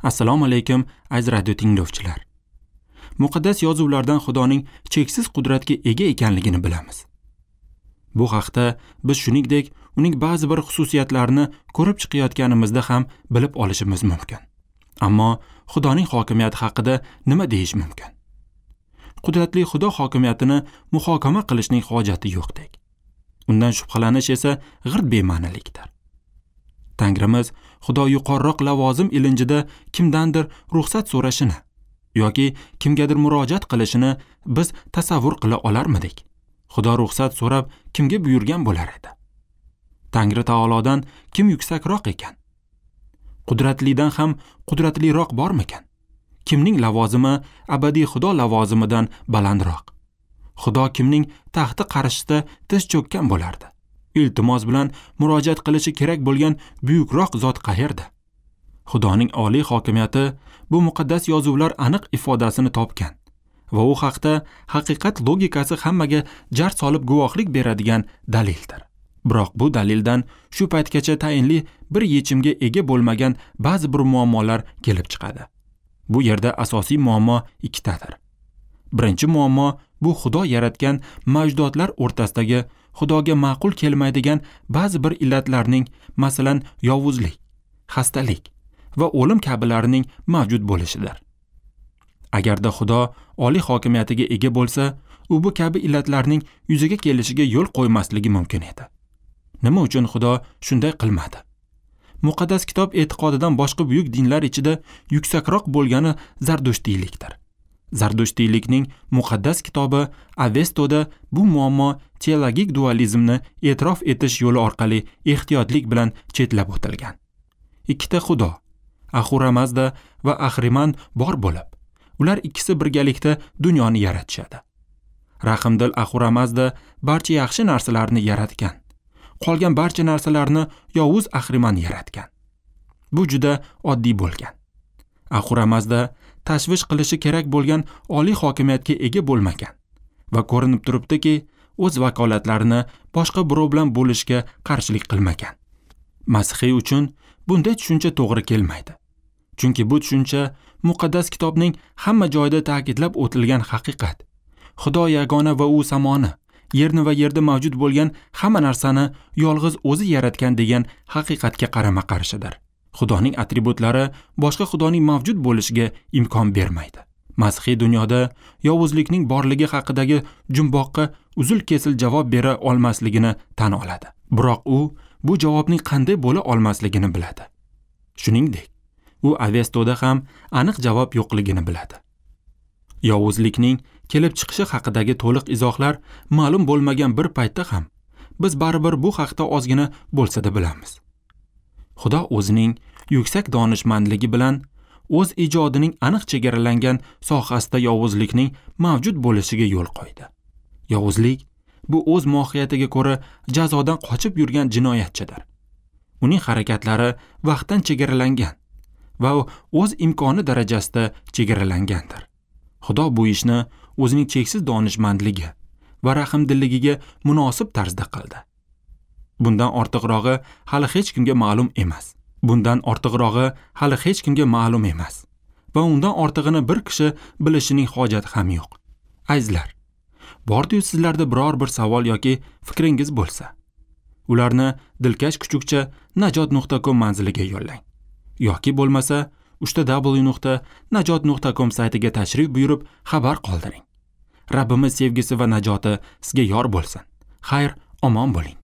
Assalomu alaykum, aziz radio tinglovchilar. Muqaddas yozuvlardan Xudoning cheksiz qudratga ega ekanligini bilamiz. Bu haqda biz shuningdek uning ba'zi bir xususiyatlarini ko'rib chiqayotganimizda ham bilib olishimiz mumkin. Ammo Xudoning hokimiyati haqida nima deyish mumkin? Qudratli Xudo hokimiyatini muhokama qilishning hojati yo'qdek. Undan shubhalanish esa g'irt bema'nilikdir. Tangrimiz Xudo yuqoriroq lavozim ilinjida kimdandir ruxsat so'rashini yoki kimgadir murojaat qilishini biz tasavvur qila olarmidik? Xudo ruxsat so'rab kimga buyurgan bo'lar edi? Tangri taolodan kim yuksakroq ekan? Qudratlidan ham qudratliroq bormikan? Kimning lavozimi abadiy Xudo lavozimidan balandroq? Xudo kimning taxti qarshisida tiz cho'kkan bo'lardi? Iltimos bilan murojaat qilishi kerak bo'lgan buyukroq zot qayerda? Xudoning oliy hokimiyati bu muqaddas yozuvlar aniq ifodasini topgan va u haqda haqiqat logikasi hammaga jar solib guvohlik beradigan dalildir. Biroq bu dalildan shu paytgacha tayinli bir yechimga ega bo'lmagan ba'zi bir muammolar kelib chiqadi. Bu yerda asosiy muammo ikkitadir. Birinchi muammo bu Xudo yaratgan mavjudotlar o'rtasidagi Xudoga ma'qul kelmaydigan ba'zi bir illatlarning, masalan, yovuzlik, xastalik va o'lim kabilarining mavjud bo'lishidir. Agarda Xudo oliy hokimiyatiga ega bo'lsa, u bu kabi illatlarning yuzaga kelishiga yo'l qo'ymasligi mumkin edi. Nima uchun Xudo shunday qilmadi? Muqaddas kitob e'tiqodidan boshqa buyuk dinlar ichida yuksakroq bo'lgani zardushtiylikdir. Zardushtiylikning muqaddas kitobi Avestoda bu muammo teologik dualizmni e'tirof etish yo'li orqali ehtiyotlik bilan chetlab o'tilgan. Ikkita Xudo, Ahura Mazda va Ahriman bor bo'lib, ular ikkisi birgalikda dunyoni yaratishadi. Rahimdil Ahura Mazda barcha yaxshi narsalarni yaratgan. Qolgan barcha narsalarni yovuz Ahriman yaratgan. Bu juda oddiy bo'lgan. Ahura Mazda tashvish qilishi kerak bo'lgan oliy hokimiyatga ega bo'lmagan va ko'rinib turibdiki, o'z vakolatlarini boshqa birov bilan bo'lishga qarshilik qilmagan. Masihiy uchun bunday tushuncha to'g'ri kelmaydi. Chunki bu tushuncha muqaddas kitobning hamma joyida ta'kidlab o'tilgan haqiqat. Xudo yagona va u samoni, yerni va yerda mavjud bo'lgan hamma narsani yolg'iz o'zi yaratgan degan haqiqatga qarama-qarshidir. Xudoning atributlari boshqa Xudoning mavjud bo'lishiga imkon bermaydi. Masihiy dunyoda yovuzlikning borligi haqidagi jumboqqa uzil-kesil javob bera olmasligini tan oladi. Biroq u bu javobning qanday bo'la olmasligini biladi. Shuningdek, u Avestoda ham aniq javob yo'qligini biladi. Yovuzlikning kelib chiqishi haqidagi to'liq izohlar ma'lum bo'lmagan bir paytda ham biz baribir bu haqda ozgina bo'lsa-da bilamiz. Xudo o'zining yuksak donishmandligi bilan o'z ijodining aniq chegaralangan sohasida yovuzlikning mavjud bo'lishiga yo'l qo'ydi. Yovuzlik bu o'z mohiyatiga ko'ra jazodan qochib yurgan jinoyatchidir. Uning harakatlari vaqtdan chegaralangan va o'z imkoni darajasida chegaralangandir. Xudo bu ishni o'zining cheksiz donishmandligi va rahmdilligiga munosib tarzda qildi. Bundan ortiqrog'i hali hech kimga ma'lum emas. Bundan ortiqrog'i hali hech kimga ma'lum emas. Va undan ortig'ini bir kishi bilishining hojati ham yo'q. Azizlar, bordi-yu sizlarda biror bir savol yoki fikringiz bo'lsa, ularni dilkash kuchukcha najot.com manziliga yo'llang. Yoki bo'lmasa www.najot.com saytiga tashrif buyurib xabar qoldiring. Rabbimiz sevgisi va najoti sizga yor bo'lsin. Xayr, omon bo'ling.